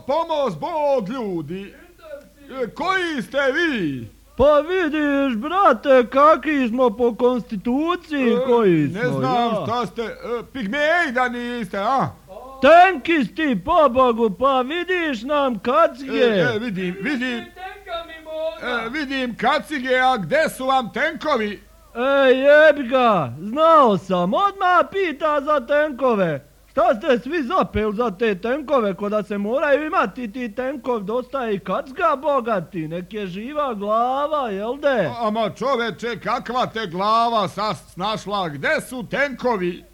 Pomoz Bog, ljudi. Koji ste vi? Pa vidiš, brate, kakvi smo po konstituciji, koji smo, ne znam šta ste, pigmeji da niste, a? Tenkisti, pobogu, pa vidiš nam kacige. Vidim kacige, a gde su vam tenkovi? Jebi ga, znao sam, odmah pita za tenkove. Šta ste svi zapeli za te tenkove, ko da se moraju imati ti tenkov, dosta i kacga bogati, nek je živa glava, jel de? Ama čoveče, kakva te glava snašla, gde su tenkovi?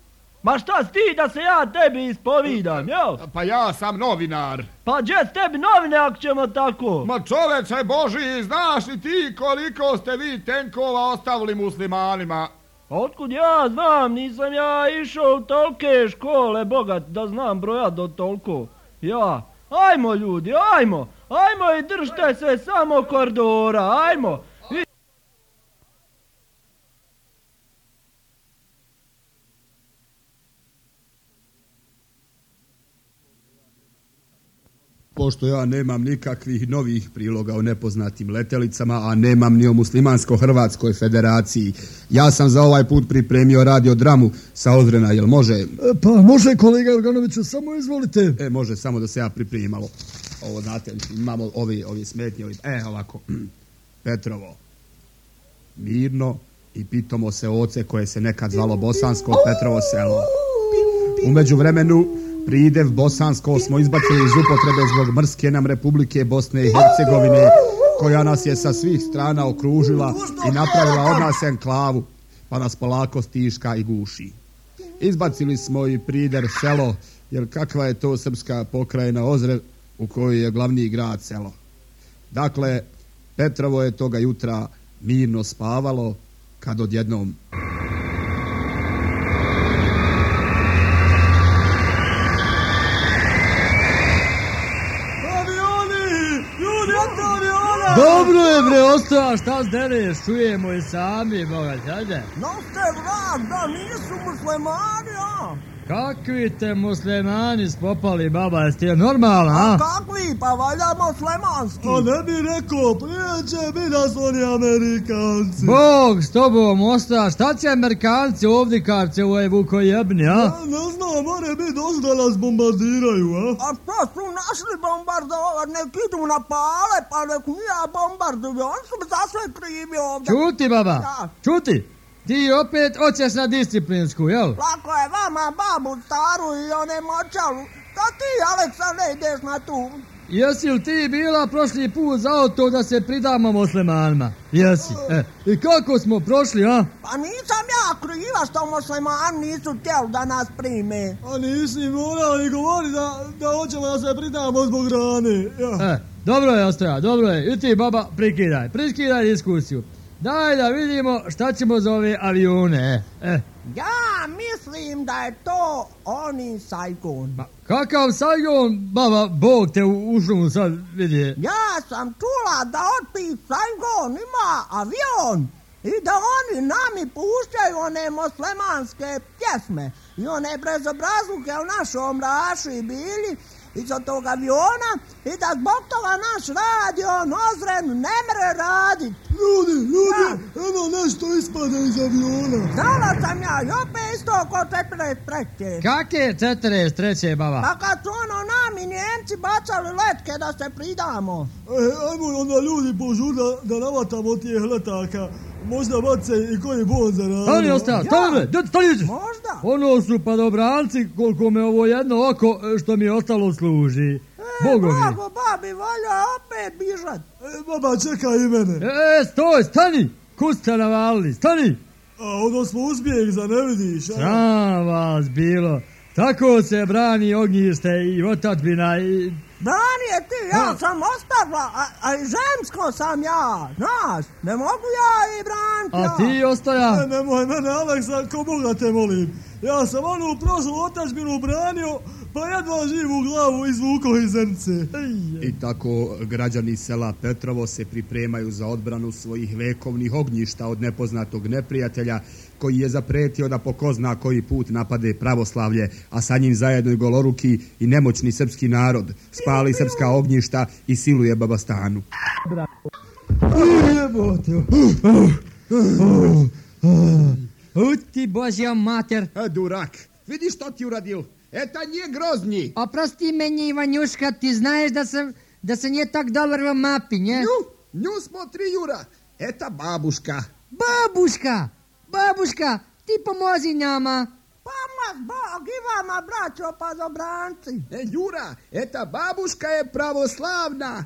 Ma šta si ti da se ja tebi ispovidam, jel? Pa ja sam novinar. Pa gdje s tebi novine ako ćemo tako? Ma čoveče Boži, znaš li ti koliko ste vi tenkova ostavili muslimanima? Otkud ja znam, nisam ja išao u tolke škole, bogat, da znam brojat do toliko. Ja, ajmo ljudi, ajmo i držite se samo koridora, ajmo. Pošto ja nemam nikakvih novih priloga o nepoznatim letelicama, a nemam ni o Muslimansko-Hrvatskoj federaciji, ja sam za ovaj put pripremio radiodramu sa Ozrena, jel može? Pa može, kolega Jorganoviću, samo izvolite. Može, samo da se ja pripremim malo. Ovo, znate, imamo ovi smetnje, ovako. Petrovo, mirno i pitomo se oce koje se nekad zvalo Bosansko Petrovo selo. U međuvremenu pridev bosansko smo izbacili iz upotrebe zbog mrske nam Republike Bosne i Hercegovine, koja nas je sa svih strana okružila i napravila od nas enklavu, pa nas polako stiška i guši. Izbacili smo i prider selo, jer kakva je to srpska pokrajina Ozren u kojoj je glavni grad selo. Dakle, Petrovo je toga jutra mirno spavalo, kad odjednom... Dobro je, bre, ostao, šta zdereš, čujemo i sami, boga, hajde. Noste vrat, da nisu muslimani, a? Kakvi te muslimani spopali, baba, jeste je normalna, a? Kakvi, pa valja muslimanski. A ne bi rekao, prijeće bi da su oni Amerikanci. Bog s tobom osta, šta će Amerikanci ovdje karce u ovoj Vukojebni, a? Ne znam, more bi došli da nas bombardiraju, a? A što su našli bombardovati, nek idu na pale, pa nek nije bombarduju, oni su za sve krivi ovdje. Čuti, baba, čuti. Ti opet hoćeš na disciplinsku, jel? Lako je vama babu staru i one močalu. Da ti, Aleksandre, ideš na tu. Jesi li ti bila prošli put za to da se pridamo muslimanima? Jesi. I kako smo prošli, a? Pa nisam ja kriva što muslimani nisu htjeli da nas prime. A nisi morali govoriti da hoćemo da se pridamo zbog hrane. Ja. Dobro je, Ostoja, dobro je. I ti, baba, priskidaj diskusiju. Daj da vidimo šta ćemo za ove avione. Ja mislim da je to oni Saigon. Kakav Saigon, baba, Bog te u šumu sad vidi. Ja sam čula da otpis Saigon ima avion i da oni nami puštaju one muslimanske pjesme i one brezobrazluke u našom raši bili iza tog aviona i da zbog toga naš radio Ozren ne mere radit. Ljudi, eno nešto ispada iz aviona. Znala sam ja, i opet isto oko 43. Kake 43, baba? Pa kad su nami Njemci bacali letke da se pridamo. Ajmo onda ljudi požur da navatamo tijeh letaka. Možda bace i koji bon za radu. Stani, ostaja, stani! Možda? Ono su padobranci koliko me ovo jedno oko što mi je ostalo služi. Blago, babi, valja opet bižat. Baba, čekaj i mene. Stoj, stani! Kud ste navalili, stani! A ono smo uspjeh, za ne vidiš, a? Sram vas bilo. Tako se brani ognjište i otadbina i Branije ti, ja sam ostavila, a i žensko sam ja, znaš, ne mogu ja i braniti. A ti Ostoja? Nemoj mene, Aleksa, ko Boga te molim. Ja sam onu prošlu otadžbinu branio, pa jedva živu glavu izvukao iz zrnce. I tako građani sela Petrovo se pripremaju za odbranu svojih vekovnih ognjišta od nepoznatog neprijatelja koji je zapretio da po ko zna koji put napade pravoslavlje, a sa njim zajedno i goloruki i nemoćni srpski narod, spali srpska ognjišta i siluje Babastanu. Ti Božja mater. Durak, vidiš što ti uradio? Eta nije groznji. Oprosti meni, Ivanjuška, ti znaš da sam je tak dobar v mapi, nje? Nju smo tri, Jura. Eta babuška. Babuška, ti pomozi nama. Pomoz Bog i vama, braćo pazobranci. Jura, eta babuška je pravoslavna.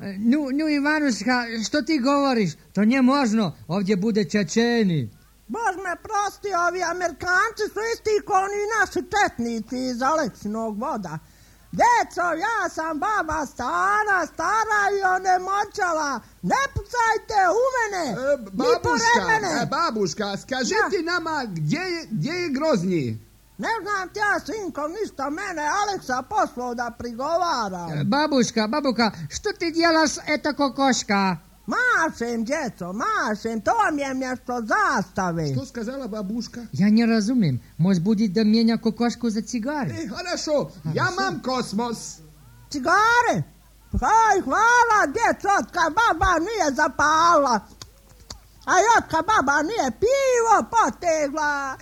Nu, Ivanuška, što ti govoriš? To nije možno, ovdje bude Čečeni. Bož me prosti, ovi Amerikanci su isti kao oni naši četnici iz Aleksinog voda. Deco, ja sam baba stara i onemoćala. Ne pucajte u mene, ni pored mene. Babuška, skaži ti nama gdje je groznji? Ne znam ti ja, sinko, ništa, mene Aleksa poslao da prigovara. Babuška, što ti djelaš eto kokoška? Mašem, djeco, mašem, to mi je mjesto zastave. Što skazala babuška? Ja ne razumim, može budi da mijenja kokošku za cigare. Harašo, ja mam kosmos. Cigare? Haj, hvala, djeco, otka baba nije zapala. A otka baba nije pivo potegla.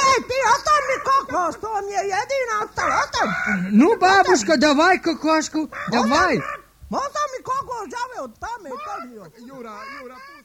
Ej, ti ostav mi kokos, to mi je jedina ostala, ostav. Nu, babuška, davaj kokošku, davaj. Možda mi kokos žave od tame. Jura, pusti.